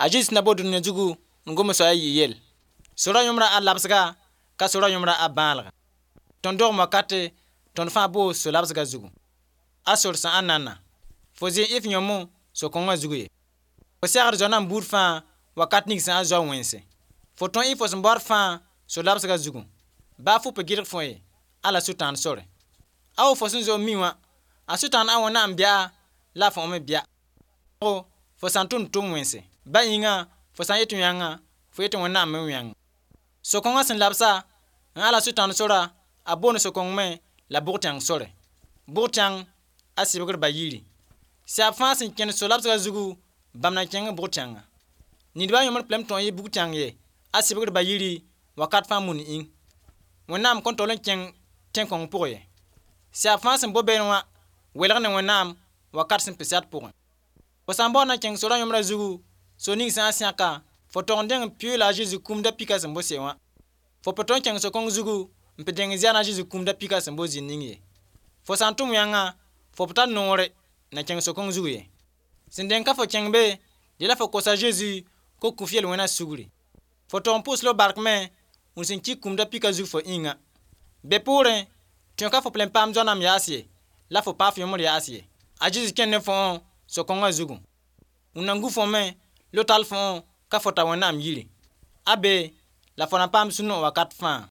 A Zezi sẽn da bo dũniyã zugu n gom soaya yɩ yell. Sora yõmra a labsga ka sora yõmra a bãalga. Tõnd dogem wakate tõnd fãa boo so-labsga zugu. A sor sã n nana, fo zɩ n ɩ f yõmo so-kõngã zugu ye. Fo segd zoa-nãmb buud fãa wakat ning sã n zao wẽnse. Fo tõe n ɩ fo sẽn baood fãa so-labsga zugu. Baa fo pa gɩdg fo ye, ala sʋtãan sore. A wo fo sẽn zoe n mi wã, a sʋtãan a Wẽnnaam bɛa la a fo me bɛa. Fo sã n tʋmd tʋm wẽnse. Ba yĩnga fo sã n yet yãnga, fo yet Wẽnnaam me yãng. So-kõngã sẽn labsa n ala sʋtãan sora, a boond so-kõng me la bʋg-tẽng sore. Bʋg-tẽng a sɩbgr ba yiri. Sɛb fãa sẽn kẽnd so-labsga zugu, bãmb na kẽng bʋg-tẽnga. Nidbã yõmd p lem tõe n yɩ bug-tẽng ye, a sɩbgr ba yiri wakat fãa mun ĩng. Wẽnnaam kõn tol n kẽng tẽn-kõng pʋgẽ ye. Sɛb fãa sẽn bo beene wã welg ne Wẽnnaam wakat sẽn pɩsɛd pʋgẽ. Fo sã n baood na kẽng sora yõmrã zugu, so ning sã n sẽka, fo tog n dẽng n pɩʋʋ la a Zezi kũum da-pɩkã sẽn bo se wã. Fo pa tõe n kẽng so-kõng zugu n pɩ dẽng zɛn a Zezi kũum da-pɩkã sẽn bo zĩnd ning ye. Fo sã n tʋm yãnga, fo pa tar noore na kẽng so-kõng zugu ye. Sẽn dẽng ka fo kẽng be, dela fo kosa Zezi ko kũ f yel-wẽna sugri. Fo tog n pʋʋs la f bark me wẽnd sẽn ki kũum da-pɩkã zug fo yĩnga. Be poorẽ, tõe ka fo p lem paam zoa-nãmb yaas ye, la fo paa f yõmd yaas ye. A Zezi kẽnd ne fo so-kõngã zugu. Wẽnd na gu fo me lotal fo ka fo ta Wẽnnaam yiri. A be la fo na paam sũ-noog wakat fãa.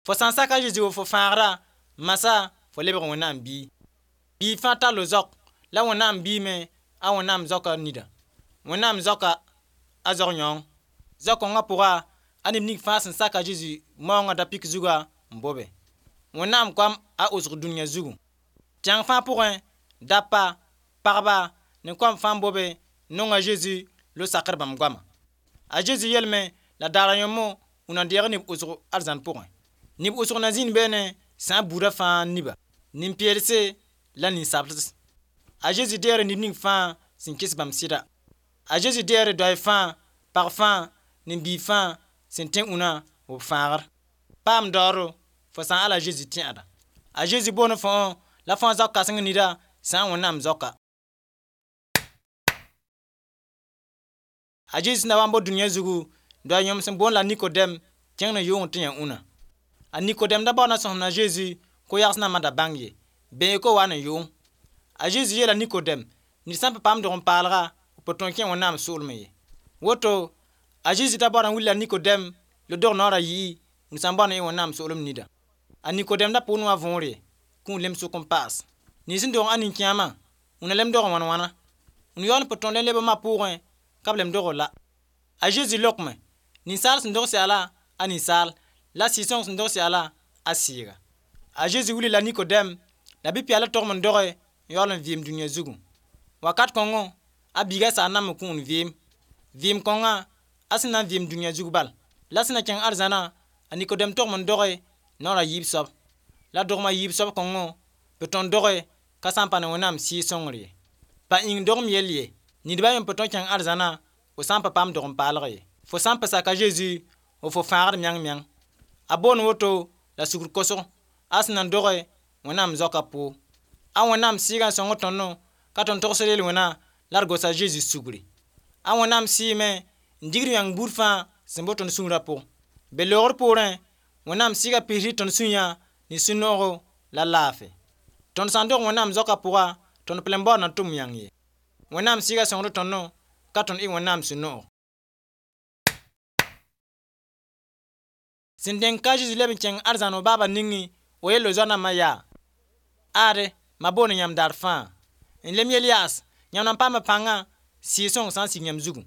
Fo sã n sak a Zezi wa fo fãagra, masã fo lebg Wẽnnaam biig. Biig fãa tall zaok la Wẽnnaam biig me a Wẽnnaam zaokã nida. Wẽnnaam zaoka a zaok yãong. Zao-kõngã pʋga a neb ning fãa sẽn sak a Zezi maoongã da-pɩk zugã n bobe. Wẽnnaam koam a osg dũniyã zugu. Tẽng fãa pʋgẽ, dapa, pagba ne koam fãa n bobe nong a Zezi lo sakr bãmb goama. A Zezi yelme la daara yõmmo wũ na deeg neb osg arzãn pʋgẽ. Neb osg na zĩnd beene sã n buudã fãa niba, nin-peelse la ninsabds. A Zezi deegre neb ning fãa sẽn kɩs bãmb sɩda. A Zezi deegre doay fãa, pag fãa, ne biig fãa sẽn tẽ ũnã b fãagr. Paam daooro fo sã n ala Zezi tẽeda. A Zezi boond fo la fãa zaok kãseng nida sã n Wẽnnaam zaoka. A Zezi sẽn da wa n bo dũniyã zugu, doa yõem sẽn boond la Nikodɛm kẽng ne yʋng tɩ yã ũnã. A Nikodɛm da baood na sõsem a Zezi ko-yags nambã da bãng ye, bẽe ko wa ne yʋng. A Zezi yeela Nikodɛm, ned sã n pa paam dog-n-paalga, b pa tõe n kẽ Wẽnnaam soolmẽ ye. Woto, a Zezi da baood n wilila Nikodɛm la dog naoor a yi'i wũni sã n bao ne Wẽnnaam soolem nida. A Nikodɛm da pʋʋn wã võor ye, kũun lem sʋk n paas. Ned sẽn dog a nin-kẽamã, wũna lem dog wãn wãna. Wũni yaool n pa tõe n leb ma pʋʋgẽ ka b lem dog la. A Zezi lokme, ninsaal sẽn dog sɛla a ninsaal, la sɩɩg-sõng sẽn dog sɛla a sɩɩga. A Zezi wilila Nikodɛm la bi-pɛɛl togem n doge n yaool n vɩɩm dũniyã zugu. Wakat kõngo, a biiga saa nam n kũun vɩɩm. Vɩɩm kõngã, a sẽn na n vɩɩm dũniyã zug bal. La sẽn na kẽng arzãna, a Nikodɛm togem n doge naoor a yiib soab. La dogem a yiib soab kõngo, pʋ tõe n doge ka sã n pa ne Wẽnnaam sɩɩg-sõngr ye. Pa yĩng dogem yell ye, nidbã yẽ pa tõe n kẽng arzãna fo sã n pa paam dog-n-paalg ye. Fo sã n pa sak a Zezi wa fo fãagd meng meng. A boond woto la sugr kosg, a sẽn na n doge Wẽnnaam zaokã pʋʋg. A Wẽnnaam sɩɩgã n sõng tõndo ka tõnd togsd yel-wẽna la d gosa Zezi sugri. A Wẽnnaam sɩɩme n digd yãng buud fãa sẽn bo tõnd sũurã pʋgẽ. Be loogr poorẽ, Wẽnnaam sɩɩga pisd tõnd sũyã ne sũ-noogo la laafɩ. Tõnd sã n dog Wẽnnaam zaokã pʋga, tõnd pa le n baood na tʋm yãng ye. Wẽnnaam sɩɩga sõngd tõndo ka tõnd ɩ Wẽnnaam sũ-noog. Sẽn dẽng ka Zezi leb n kẽng arzãn b baaba ningẽ, o yell zoa-nambã yaa: Ade, ma boond yãmb daar fãa. N lem yel yaas, yãmb na n paama pãngã sɩɩg-sõng sã n sig yãmb zugu.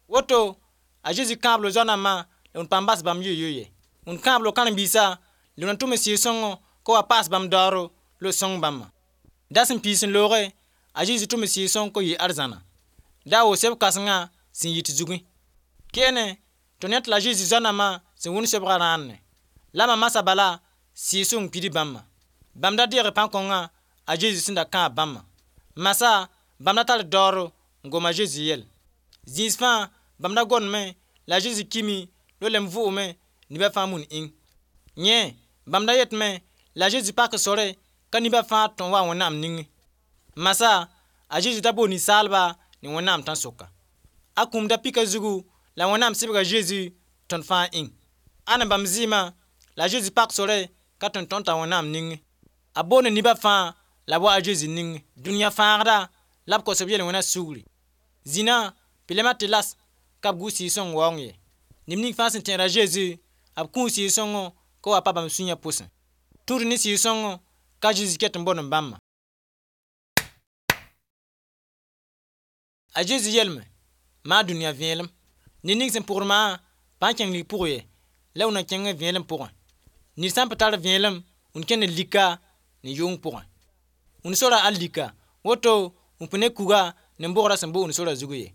Woto, a Zezi kãabl zoa-nambã la wũni paam bas bãmb yoy-yoy ye. Wũni kãabl karen-biisã la wũni tʋm sɩɩg-sõngõ ko wa paas bãmb daooro la sõng bãmba. Da sẽn piis n looge, a Zezi tʋm sɩɩg-sõng ko yɩ arzãna. Da wo seb kãsengã sẽn yit zugẽ. Keene, tõnd yãt la Zezi zoa-nambã sẽn wʋnd sobgã rãanne. La ma masã bala sɩɩg-sõng pidi bãmba. Bãmb da deege pãn-kõngã a Zezi sẽn da kãab bãmba. Masã bãmb da tar daooro n gom a Zezi yell. Zĩis fãa bãmb da gomdme la a Zezi kimi la lem vʋʋgme nibã fãa mun ĩng. Yẽ, bãmb da yetme la a Zezi pak sore ka nibã fãa tõe n wa Wẽnnaam ningẽ. Masã A Zezi da boo ninsaalba ne Wẽnnaam tãn-soka. A kũum da pika zugu la Wẽnnaam sɩbga Zezi tõnd fãa ĩng. A ne bãmb zɩɩmã la a Zezi pak sore ka tõe n tõnd t'a Wẽnnaam ningẽ. A boonda neba fãa la b wa a Zezi ningẽ. Dũniyã fãagda la b kos b yel-wẽna sugri. Zĩnã pɩlema tɩ las ka b gu Sɩɩg-sõng waoong ye. Neb ning fãa sẽn tẽed a Zezi, b kũu Sɩɩg-sõngõ ka wa pa bãmb sũyã pʋsẽ. Tũud ne Sɩɩg-sõngõ ka Zezi ket n bõd n bãmba. A Zezi yelme maa dũniyã vẽelem. Ned ning sẽn pʋgd maã pa n kẽng lig pʋgẽ ye, la wʋna kẽng vẽelem pʋgẽ. Ned sã n pa tar vẽelem, wʋn kẽnd lika ne yʋng pʋgẽ. Wʋn sora a lika, woto wʋn pẽ ne kuga ne bogrã sẽn bo wʋn sora zugu ye.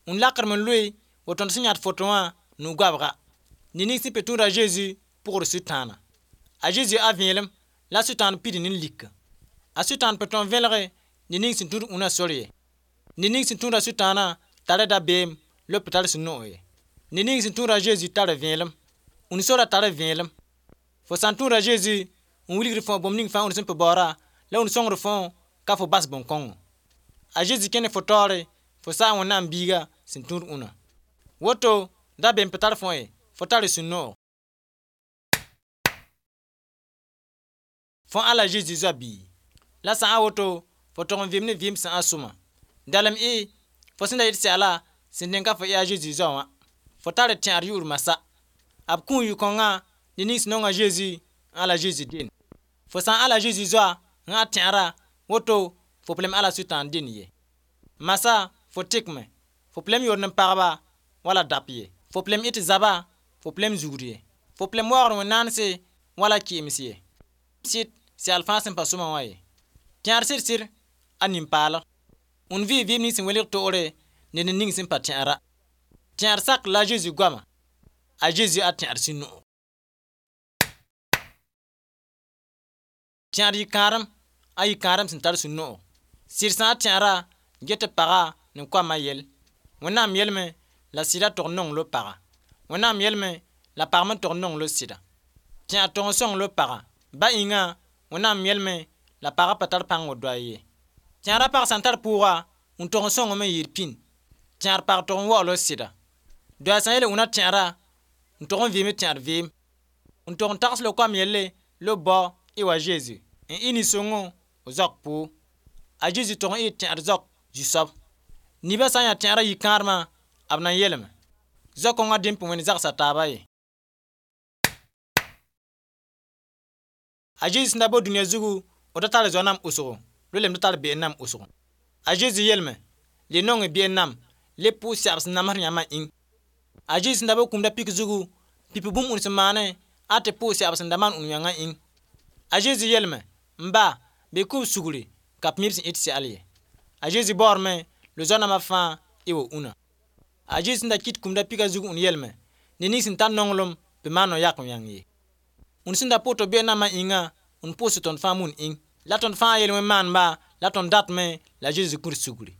Wʋn lakdem n loe wa tõnd sẽn yãd foto wã nu-goabga. Ned ning sẽn pe tũud a Zezi pʋgd Sʋtãana. A Zezi a vẽelem la Sʋtãan pid ne lika. A Sʋtãan pe tõe n vẽlge ned ning sẽn tũud wũnã sor ye. Ned ning sẽn tũud a Sʋtãanã tara dabeem la b tar sũ-noog ye. Ned ning sẽn tũud a Zezi tara vẽelem. Wũn sora tara vẽelem. Fo sã n tũud a Zezi n wilgd fõ bũmb ning fãa wũn sẽn pe baoora la wũn sõngd fõ ka fo bas bõn-kõngo. A Zezi kẽne fo taoore fo saa Wẽnnaam biiga sẽn tũud wũnã. Woto dabeem pa tar fõ ye, fo tara sũ-noog. Fõ ala Zezi zoa bii. La sã n woto fo tog n vɩɩm ne vɩɩm sẽn a sõma. Dalem y fo sẽn da yet sɛgla sẽn dẽn ka fo yaa a Zezi zoa wã. Fo tar tẽad yʋʋr masa. B kũu yʋ-kõngã ned ning sẽn nong a Zezi n ala Zezi dend. Fo sã n ala Zezi zoa n a tẽara, woto fo pa lem ala Sʋtãan dend ye. Masa fo tɩkme, fo pa lem yord n pagba wala dap ye. Fo pa lem ɩt zaba, fo pa lem zugd ye. Fo pa lem waoogd wẽn-naanse wala kɩɩms ye. Sɩd sɛgl fãa sẽn pa sõma wã ye. Tẽad sɩd-sɩd a nin-paalg. Wũn vɩɩ vɩɩm ning sẽn welg toore ne ned ning sẽn pa tẽara. Tẽad sak la a Zezi goama. A Zezi a tẽad sũ-noog. Tẽad yɩ-kãadem a yɩ-kãadem sẽn tar sũ-noog. Sɩd sã a tẽara get paga ne koamã yell. Wẽnnaam yelme la sɩda tog n nong lo paga. Wẽnnaam yelme la pag me tog n nong lo sɩda. Tẽad tog n sõng lo paga. Ba ĩngã Wẽnnaam yelme la pagã pa tar pãng doa ye. Tẽada pag sã n tar pʋʋga, n tog n sõngame n yɩɩd pĩnd. Tẽad pag tog n waoog lo sɩda. Doa sã n yeel wũnã tẽara, n tog n vɩɩm tẽad vɩɩm. N tog n tags lo koam yelle lo bao y wa Zezi. N ɩ nin-sõngo zaok pʋʋg. A Zezi tog n ɩ tẽad zaok zu-soab. Nibã sã n yaa tẽada yɩ-kãadmã, b na n yeelame. Zao-kõngã dẽn pʋ wẽnd zagsa taaba ye. A Zezi sẽn da bo dũniyã zugu, b da tar zoa nam wʋsgo, la lem da tar be'en nam wʋsgo. A Zezi yeelame, le nong be'en nam, le pʋʋs sɛb sẽn namsd yãmbã ĩng. A Zezi sẽn da bo kũum da pik zugu, pipi bũmb und sẽn maane a tɩ pʋʋs sɛb sẽn da maan und yãngã ĩng. A Zezi yeelame, m ba, bɩ kʋ b sugri ka b mi b sẽn ɩt sɛgl ye. A Zezi baoodame la zoa namã fãa y wa ũnã. A Zezi sẽn da kɩt kũum da pika zug und yeelame, ned ning sẽn tar nonglem bɩ maan no-yak yãng ye. Wũnd sẽn da pʋʋs tɩ be'en nambã ĩngã, wũnd pʋʋs tõnd fãa mun ĩng. La tõnd fãa yel-wẽn maanba la tõnd datme la Zezi kũr sugri.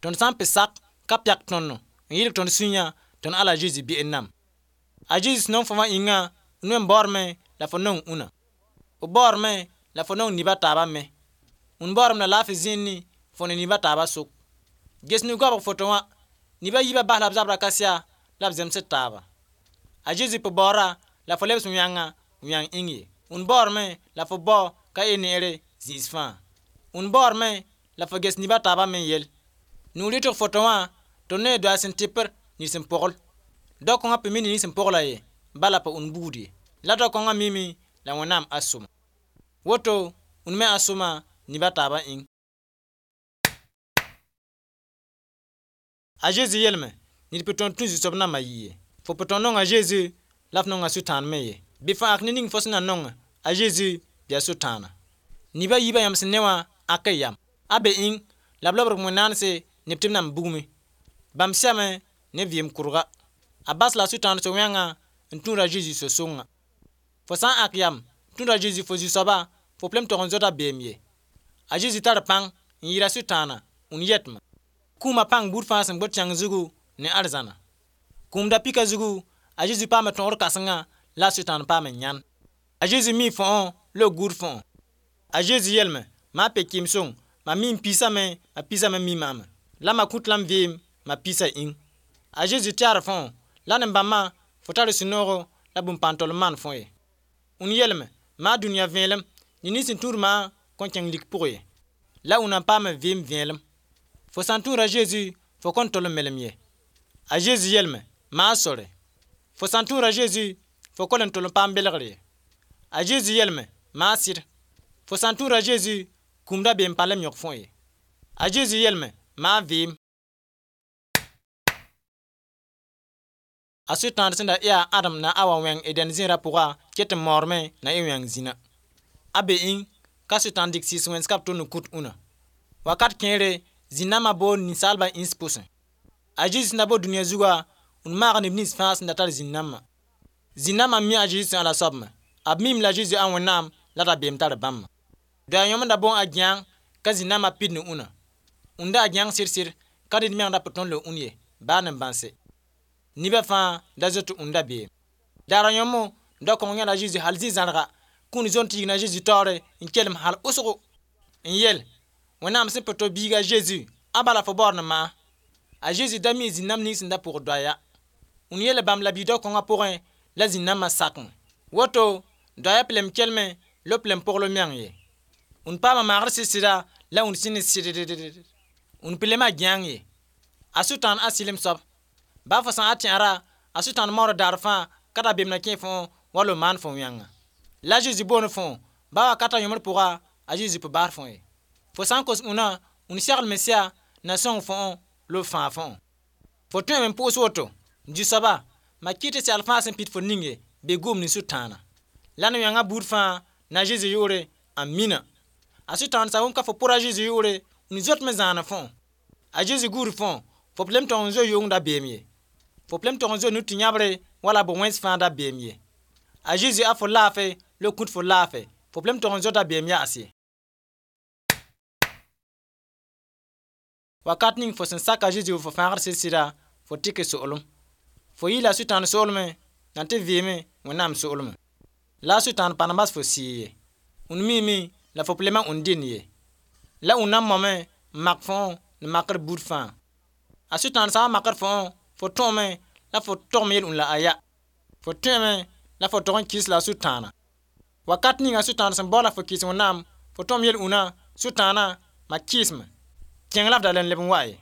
Tõnd sã n pe sak ka pɛk tõndo n yɩlg tõnd sũyã tõnd ala Zezi be'en nam. A Zezi sẽn nong fo wã ĩngã, wẽnd me baoodame la fo nong ũnã. B baoodame la fo nong nib a taabã me. Wũnd baoodame la laafɩ zĩnd fo ne nib a taabã sʋk. Ges nu-goabg foto wã, nib a yiibã bas la b zabra ka-sɛa la b zemsd taaba. A Zezi pe baoora la fo lebs yãngã yãng ĩng ye. Wũnd baoodame la fo bao ka y neere zĩis fãa. Wũnd baoodame la fo ges nib a taabã me yell. Nu-rɩtg foto wã tõnd ne doa sẽn tɩpr ned sẽn pogl. Dao-kõngã pe mi ned sẽn pogla ye, bala pa wũnd buud ye. La dao-kõngã mime la Wẽnnaam a sõma. Woto wũnd me a sõma nib a taabã ĩng. A Zezi yeelame, ned pe tõnd tũ zu-soab nambã yɩ ye. Fo pe tõnd nonga a Zezi la f nonga Sʋtãan me ye. Bɩ fo ãk ne ning fo sẽn na nong a Zezi bɩ a Sʋtãana. Nib a yiibã yãmb sẽn ne wã ãk y yam. A be ĩng la b lobg wẽn-naanse neb tɩ b nan bugme. Bãmb sɛme ne vɩɩm kʋrga. A bas la Sʋtãan so-wẽngã n tũud a Zezi so-sõngã. Fo sã n ãk yam tũud a Zezi fo zu-soaba, fo pa lem tog n zoda beem ye. A Zezi tar pãng n yɩɩda Sʋtãana wũnd yɛtme. Kũumã pãng buud fãa sẽn gbd tẽng zugu ne arzãna. Kũum da pika zugu, a Zezi paame tõogr kãsenga la a Sʋtãan paam n yãn. A Zezi mii fõo la b gũud fõo. A Zezi yeelame, maa pe-kɩɩm-sõng Mam mi m piisame, ma piisã me mi maam. La ma kũt la m vɩɩm ma piisã ĩng. A Zezi tɛgd fõ la nin-bãmbã fo tar sũ-noogo la bũmb pãn tol n maan fõ ye. Und yelme maa dũniyã vẽelem, ned nins sẽn tũud maã kõn kẽng lik pʋg ye. La und na n paam vɩɩm vẽelem. Fo sã n tũuda Zezi, fo kõn tol n melem ye. A Zezi yelme maa sore. Fo sã n tũuda Zezi, fo ka le n tol n paam belgr ye. A Zezi yelme maa sɩd. Fo sã n tũuda Zezi, kũum dabeem pa lem yõk fõ ye. A Zezi yelme maa vɩɩm. A Sʋtãan sẽn da yaa Adem na Awa wẽng Eden zẽerã pʋga ket n maoodme na y wẽng zĩna. A be ĩng ka Sʋtãan dɩk sɩɩs wẽns ka b tʋnd n kũt ũnã. Wakat kẽere zĩn-nambã boond ninsaalbã ĩns pʋsẽ. A Zezi sẽn da bo dũniyã zuga, n maag neb nins fãa sẽn da tar zĩn-nambã. Zĩn-nambã mi a Zezi sẽn ala soab me. B miime la Zezi a Wẽnnaam la rabeem tar bãmba. Doa yõm n da boond a Gẽang ka zĩn-nambã pid ne ũnã. Und a Gẽang sɩd-sɩd ka ned meng da pa tõnd le ũn ye, baa nin-bãnse. Nebã fãa da zoet und dabeem. Daar a yõmmo da-kõng yãla Zezi hal zĩ-zãrga kũun zõn tɩ yigna Zezi taoore n kelem hal wʋsgo n yel: Wẽnnaam sẽn pʋ to biiga Zezi, a bala fo baood ne maa. A Zezi da mi zĩn-nãmb ning sẽn da pʋgd doaya. Und yeela bãmb la bii-dao-kõngã pʋgẽ la zĩn-nambã sakẽ. Woto doaya p lem kelme la p lem pogl meng ye. Und paama maagd sɩd-sɩda la und sẽnd ne sɩddd. Und p lema gẽang ye. A Sʋtãan a sɩlem soab. Baa fo sã a tẽera, a Sʋtãan maood daar fãa ka dabeem na kẽ fõ wala maan fo wẽnga. La Zezi boond fõ, baa wakata yõmd pʋga, a Zezi pa baas fõ ye. Fo sã n kos ũnã, und segl Mesia na sõng fõ la b fãag fõ. Fo tõeme n pʋʋs woto: Zu-soaba, ma kɩt tɩ segl fãa sẽn pid fo ninge be gʋʋm ne Sʋtãana. La ne wẽngã buud fãa na Zezi yʋʋre, amina. A Sʋtãan sã wʋm ka fo pʋra Zezi yʋʋre, und zoetme zãana fõ. A Zezi guud fõ, fo p lem tog n zoe yʋng dabeem ye. Fo p lem tog n zoe nutɩ yãbre wala bo-wẽns fãa dabeem ye. A Zezi a fo laafɛ la kũt fo laafɛ, fo p lem tog n zo dabeem yaas ye. Wakat ning fo sẽn sak a Zezi fo fãagd sɩd-sɩda, fo tɩk soolem. Fo yɩɩla Sʋtãan soolmẽ na tɩ vɩɩme Wẽnnaam soolmẽ. La a Sʋtãan pa na bas fo sɩɩ ye. Und miime la fo p lema und dẽnd ye. La und na n mame n mak fõ ne makr buud fãa. A Sʋtãan sã n makd fõ, fo tõome la fo togm yel-ũn la aya. Fo tõeme la fo tog n kɩs la a Sʋtãana. Wakat ning a Sʋtãan sẽn baoola fo kɩs Wẽnnaam, fo tõm yel-ũnã, Sʋtãana, ma kɩɩsme. Kẽng la f da le n leb n wa ye.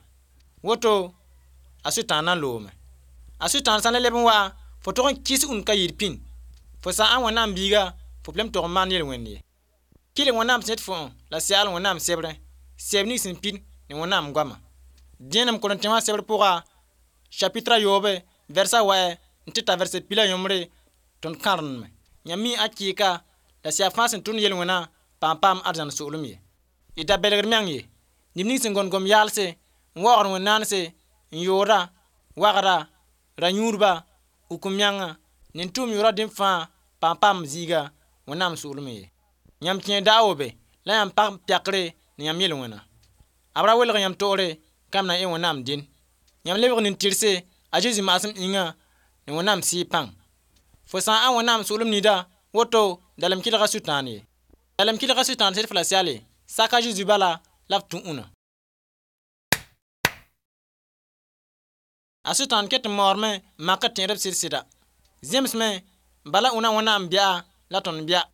Woto a Sʋtãan na n loome. A Sʋtãan sã n le leb n wa, fo tog n kɩs und ka yɩɩd pĩnd. Fo sã n Wẽnnaam biiga, fo p lem tog n maan yel-wẽnd ye. Kɩlg Wẽnnaam sẽn yet fo la segl Wẽnnaam sebrẽ, sɛb ning sẽn pid ne Wẽnnaam goama. Dẽenem Korẽntẽ wã sebr pʋga, chapitre a yoobe, vɛrsa wɛ n tɩ ta vɛrse pila yõmbre tõnd kãrendme. Yãmb mi a kɩɩka la sɛb fãa sẽn tʋnd yel-wẽnã pa n paam arzãn soolem ye. Y da belgd meng ye. Neb ning sẽn gõnd gom-yaalse, n waoogd wẽn-naanse, n yooda, wagda, ra-yũudba, uk-m-menga, ne n tʋʋm yʋʋra dẽmb fãa pa n paam zĩiga Wẽnnaam soolmẽ ye. Yãmb kẽer daa wo be la yãmb pag pɛkre ne yãmb yel-wẽna. B ra welg yãmb toore ka yãmb na n Wẽnnaam dẽn. Yãmb lebg nin-tɩrse a Zezi maasem ĩnga ne Wẽnnaam sɩɩg pãng. Fo sã n Wẽnnaam soolem nida, woto dalem kɩlga Sʋtãan ye. Dalem kɩlga Sʋtãan sed f la sɛle, sak a Zezi bala la f tũ ũnã. A Sʋtãan ket n maoodme n makd tẽedb sɩd-sɩda. Zemsme bala ũnã Wẽnnaam bɛa la tõnd bɛa.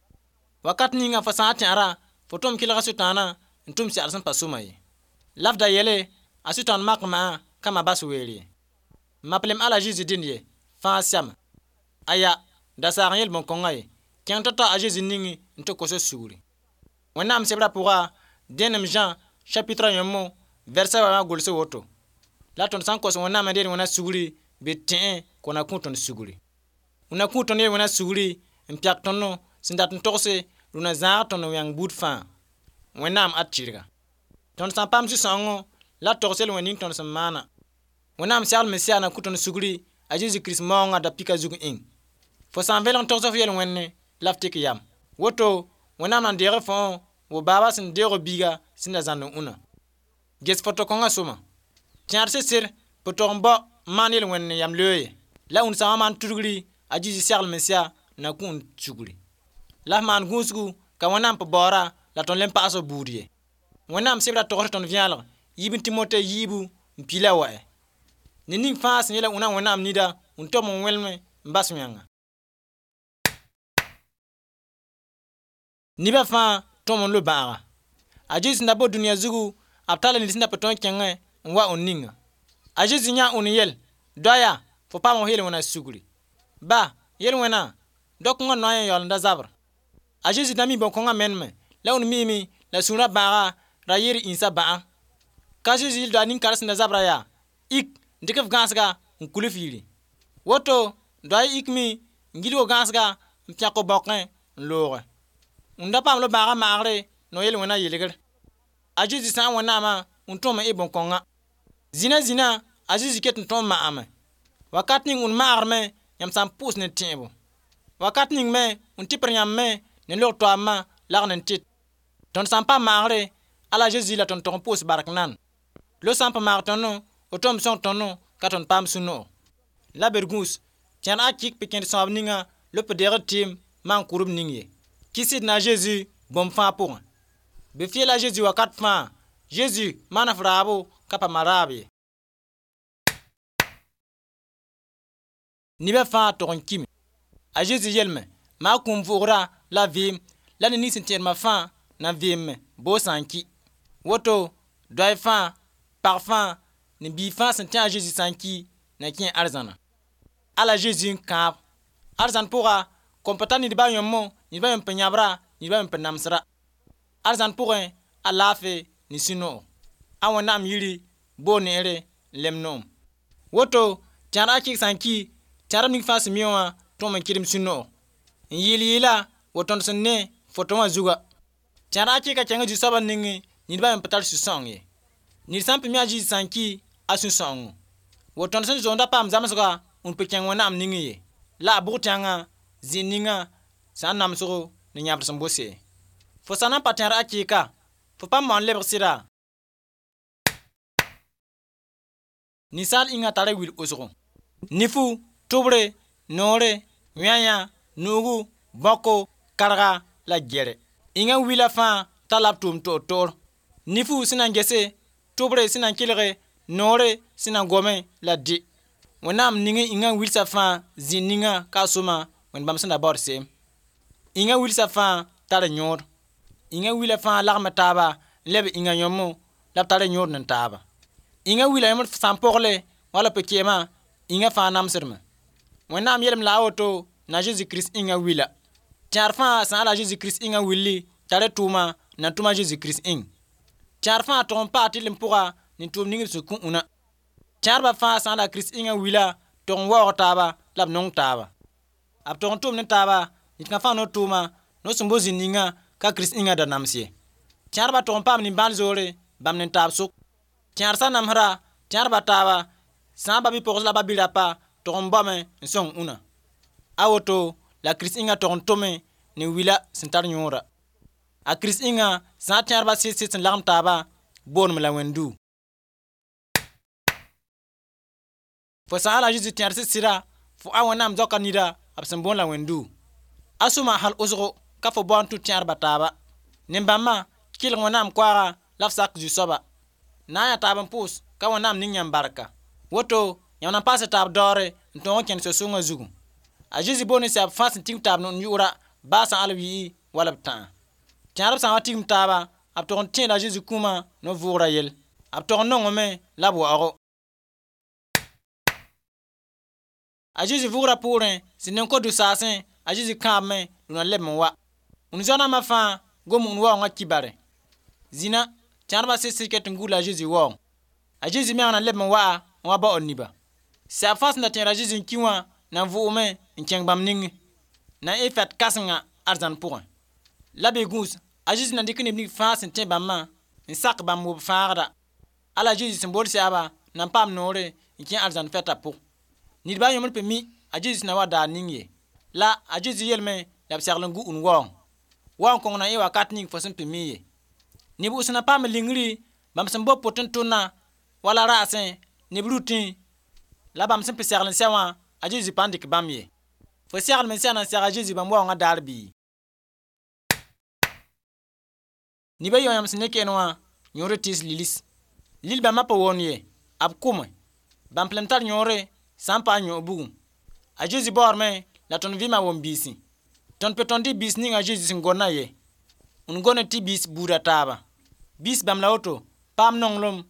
Wakat ninga fo sã n tẽera, fo tõm kɩlga Sʋtãanã n tʋm segl sẽn pa sõma ye. La f da yele a Sʋtãan mak maa ka ma bas weere ye. Ma p lem ala Zezi dẽnd ye, fãa sɛma. Aya, da saag n yel bõn-kõngã ye. Kẽng tao-tao a Zezi ningẽ n tɩ kos sugri. Wẽnnaam sebrã pʋga, dẽenem Zã chapitre yõmmo, vɛrsa wã gʋlse woto. La tõnd sã n kos Wẽnnaam n deel wẽna sugri, bɩ tẽe kõ na kũ tõnd sugri. Und na kũ tõnd yel wẽna sugri n pɛk tõnd sẽn dat n togse rũnã zãag tõnd wẽng buud fãa. Wẽnnaam a tɩrga. Tõnd sã n paam sũ-sãoongo la togs yel-wẽnd ning tõnd sẽn maana. Wẽnnaam segl Mesia na kũ tõnd sugri a Zezi Kirist maoongã da pika zug ĩng. Fo sã n velg n togs f yel-wẽnne la f tɩk yam. Woto Wẽnnaam na n deeg fõ wo baaba sẽn deoog biiga sẽn da zãnd n ũnã. Ges foto-kõngã sõma. Tẽed sɩd-sɩd p tog n bao n maan yel-wẽnd ne yam loe ye. La und sã n maan tudgri a Zezi segl Mesia na kũ n sugri. La f maan gũusgu ka Wẽnnaam p baoora la tõnd le n paas b buud ye. Wẽnnaam sebra togs tõnd vẽelg yiib n Timote yiibu n pila wa. Ned ning fãa sẽn yeela wẽna Wẽnnaam nida n tom n wẽlme n bas wẽnga. Nebã fãa tõm n lo-bãaga. A Zezi sẽn da bo dũniyã zugu, b talla ned sẽn da pa tõe n kẽngẽ n wa und ninga. A Zezi yãa und n yel: Doaya, fo paam f yel-wẽna sugri. Ba, yel-wẽna, dao-kãngã noa yã yaool n da zabr. A Zezi da mi bõn-kõngã meneme la und miime la sũurã bãaga ra yɩɩd ĩnsã bã'a. Ka Zezi yel doa nin-kar sẽn da zabra yaa: Ik, n dɩk f gãasga n kul f yiri. Woto doa ikme n gilg gãasga n pẽk bõkẽ n looge. Und da paam lo-bãagã maagre no yel-wẽna yelgr. A Zezi sã n Wẽnnaamã n tõm n ɩ bõn-kõngã. Zĩna zĩna a Zezi ket n tõm maame. Wakat ning und maagr me yãmb sã n pʋʋs ne tẽebo. Wakat ning me n tɩpr yãmb me ne log toaamã lagn n tɩt. Tõnd sã n paam maagre ala Zezi la tõnd tog n pʋʋs bark nan. Lo sã n pa maag tõndo, o tõm sõng tõndo ka tõnd paam sũ-noog. La bergũus tẽr a kɩk pɩ kẽnd sõab ninga lop deegd tɩɩm maan kʋrb ning ye. Kɩsd na Zezi bũmb fãa pʋgẽ. Bɩ f yeela Zezi wakat fãa: Zezi maan f raabo ka paam a raab ye. Nebã fãa tog n kime. A Zezi yelme: Maa kũum vʋʋgra la vɩɩm la ned ning sẽn tẽed-ma fãa na vɩɩme boo sã n ki. Woto doay fãa, pag fãa, ne biig fãa sẽn tẽ a Zezi sã n ki na kẽ arzãna. Ala Zezi n kãab. Arzãn pʋga kõn pa tar nidbã yõmmo, nidbã yõm pa yãbra, nidbã yõm pa namsra. Arzãn pʋgẽ a laafɩ ne sũ-noog. A Wẽnnaam yiri boor neere n lem noom. Woto tẽr a kɩk sã n ki, tẽrb ning fãa sẽn mi wã tõm n kɩdem sũ-noog. N yɩɩl yɩɩla wa tõnd sẽn ne foto wã zuga. Tẽr a kɩka kẽng Zu-soabã nengẽ nidbã yõm pa tar sũ-sãoong ye. Ned sã n pa mi a Zezi sã n ki a sũ-sãoongo. Wa tõnd sẽn zoond a paam zamesga n pa kẽng Wẽnnaam nengẽ ye. La a bʋg tẽngã zĩig ninga sã n namsgo ne yãbd sẽn bose. Fo sã na n pa tẽr a kɩɩka, fo pa maoon lebg sɩda. Ninsaal ĩngã tara wil wʋsgo. Nifu, tʋbre, noore, wẽaya, nuugu, bõko, karga la gɛrɛ. Ĩngã wila fãa tara b tʋʋm toor-toor. Nifu sẽn na n gese, tʋbre sẽn na n kelge, noore sẽn na n gome la dɩ. Wẽnnaam ning ĩngã wilsã fãa zĩig ninga ka a sõma Wẽnd bãmb sẽn da baood se'em. Ĩngã wilsã fãa tara yõod. Ĩngã wila fãa lagma taaba n leb ĩngã yõmmo la b tara yõod ne taaba. Ĩngã wila yõmd sã n pogle wala pʋ-kɩɩmã ĩngã fãa namsdme. Wẽnnaam yelem la a woto na Zezi Kirist ĩngã wila. Tẽar fãa sã n la Zezi Kirist ĩngã willi tara tʋʋma na tʋm a Zezi Kirist ĩng. Tẽar fãa tog n paa tɩrlem pʋga ne tʋʋm ning b sẽn kõ ũna. Tẽarbã fãa sã n la Kirist ĩngã wila tog n waoog taaba la b nong taaba. B tog n tʋm ne taaba ned kã fãa no tʋʋma no sẽn bo zĩnd ninga ka Kirist ĩngã da nams ye. Tẽarbã tog n paam nimbãan-zoore bãmb ne taab sʋk. Tẽar sã namsra tẽarbã taaba sã n ba bɩ-pogs la ba bɩ-rapa tog n baome n sõng ũna. A woto la Kirist ĩngã tog n tʋme ne wila sẽn tar yõoda. A Kirist ĩngã sã n tẽarbã sɩd-sɩd sẽn lagem taaba booneme la Wẽnd-duu. Fo sã n la Zezi tẽr sɩd-sɩda, fo a Wẽnnaam zaoka nida b sẽn boond la Wẽnd-duu. A sõma hal wʋsgo ka fo bao n tũ tẽarbã taaba. Nin-bãmbã kelg Wẽnnaam koaaga la f sak Zu-soaba. Na n yaa taab n pʋʋs ka Wẽnnaam ning yãmb barka. Woto yãmb na n paas taab daoore n tõog n kẽnd so-sõngã zugu. A Zezi boond sɛb fãa sẽn tigim taab n yʋʋra baa sã al wi'i wala b tãa. Tẽrb sã n wa tigim taaba, b tog n tẽeda Zezi kũumã no-vʋʋgrã yell. B tog n nongame la b waoogo. A Zezi vʋʋgrã pʋʋrẽ sẽn neng ko-dʋ-saasẽ a Zezi kãabme rũnã leb n wa. Und zoa-nambã fãa gom und waoongã kibare. Zĩna tẽrbã sɩd-sɩd ket n gũud la a Zezi waoong. A Zezi meng na leb n waa n wa baood niba. Sɛb fãa sẽn da tẽed a Zezi n ki wã na n vʋʋgme n kẽng bãmb nengẽ. Na n ɩ fɛt kãsenga arzãn pʋgẽ. La bɩ gũus a Zezi na dɩk neb ning fãa sẽn tẽ bãmbã n sak bãmb wob fãagda. Ala Zezi sẽn bool sɛaba na n paam noore n kẽ arzãn fɛtã pʋg. Nidbã yõmd pa mi a Zezi sẽn na wa daar ning ye. La a Zezi yelme la b segl n gu und waoong. Waoong kõng na n yɩ wakat ning fo sẽn pa mi ye. Neb wʋsg na paam lingri bãmb sẽn bo pʋt n tʋnna wala raasẽ ne b rutẽ la bãmb sẽn pa segl n sɛ wã a Zezi pa n dɩk bãmb ye. Fo seglem n sɛ na n seg a Zezi bãmb waoongã daar bɩ? Nibã yõ yãmb sẽn ne keen wã yõor tɩɩs lilis. Lil bãmbã pa wõnd ye, b kʋme. Bãmb lem tar yõore sã n paam yõ bugum. A Zezi baoodme la tõnd vɩɩmã wom-biisẽ. Tõnd pe tõnd tɩ biis ning a Zezi sẽn gonna ye. Und gone tɩ biis buuda taaba. Biis bãmb la woto, paam nonglem,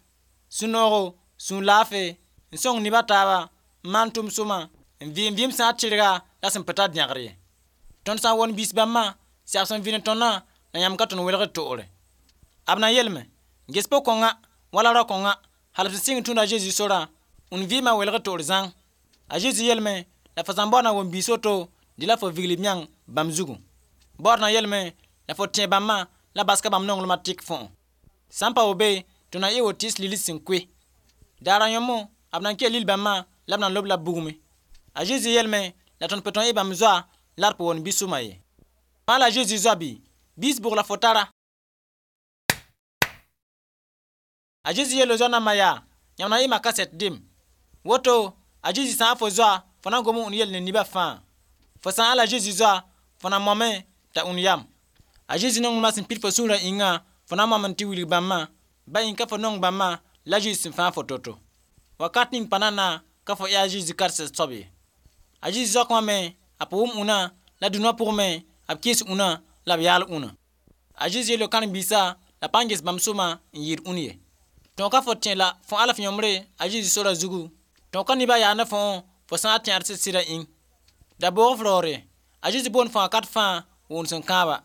sũ-noogo, sũur laafɩ, n sõng neb a taaba, n maan tʋm-sõma, n vɩɩm vɩɩm sã n tɩrga la sẽn pa tar dẽgr ye. Tõnd sã n wõnd biis bãmbã, sɛg sẽn vɩ ne tõndã la yãmb ka tõnd welgd toore. B na yeelame, ges po-kõnga wala rao-kõnga hal b sẽn sɩng n tũud a Zezi sorã, und vɩɩmã welgd toor zãng. A Zezi yeelame la fo sã n bao na wom biis woto, dɩ la fo vigl b yãng bãmb zugu. Baood na yeelame la fo tẽ bãmbã la baska bãmb nonglmã tɩk fõ. Sã n pa wa be, tɩ na yɩ wo tɩɩs lilis sẽn koe. Daara yõmmo, b na n kell lil bãmbã la b na lob la bugmẽ. A Zezi yeelame la tõnd pa tõe n yɩ bãmb zoa la d pa wõnd bi-sõma ye. Fãa la Zezi zoa bɩ? Biis bʋg la fo tara? A Zezi yeelo zoa nambã yaa, yãmb na n yɩɩma kaset dem. Woto, a Zezi sã n fo zoa, fo na n gom n yel ne nebã fãa. Fo sã n la Zezi zoa, fo na moame t'a ũnd yam. A Zezi nonglmã sẽn pid fo sũurã yĩnga, fo na n moame tɩ wilg bãmbã, ba yĩn ka fo nong bãmbã la Zezi sẽn fãag fo to-to. Wakat ning pa nana ka fo yaa a Zezi karset soab ye. A Zezi zaok wã me, a pa wʋm ũnã la dũnã pʋgẽ me, b kɩɩs ũnã la b yaal ũnã. A Zezi yeelo karen-biisã la pa n ges bãmb sõma n yɩɩd ũn ye. Tõog ka fo tẽ la fo alf yõmbre a Zezi sora zugu. Tõog ka nebã yaa ne fõ fo sã n tẽed sɩd-sɩdã ĩng. Da boog f raoore. A Zezi boond fo wakat fãa wʋnd sẽn kãaba.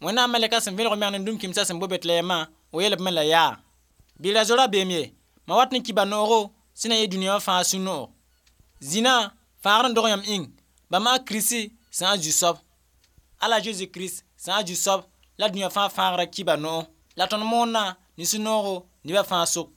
Wẽnnaam malɛka sẽn vẽlg meng ne dũm-kĩmsã sẽn bo Betlehemã, o yeel b me la yaa. Bɩ ra zo rabeem ye, ma wat n kiba noogo sẽn na yɩ dũniyã wã fãa sũ-noog. Zĩnã fãagr n dog yãmb ĩng, bãmb a Kirist sã n zu-soab. Ala Zezi Kirist sã n zu-soab la dũniyã fãa fãagrã kiba noog. La tõnd moonnã ne sũ-noogo nebã fãa sʋk.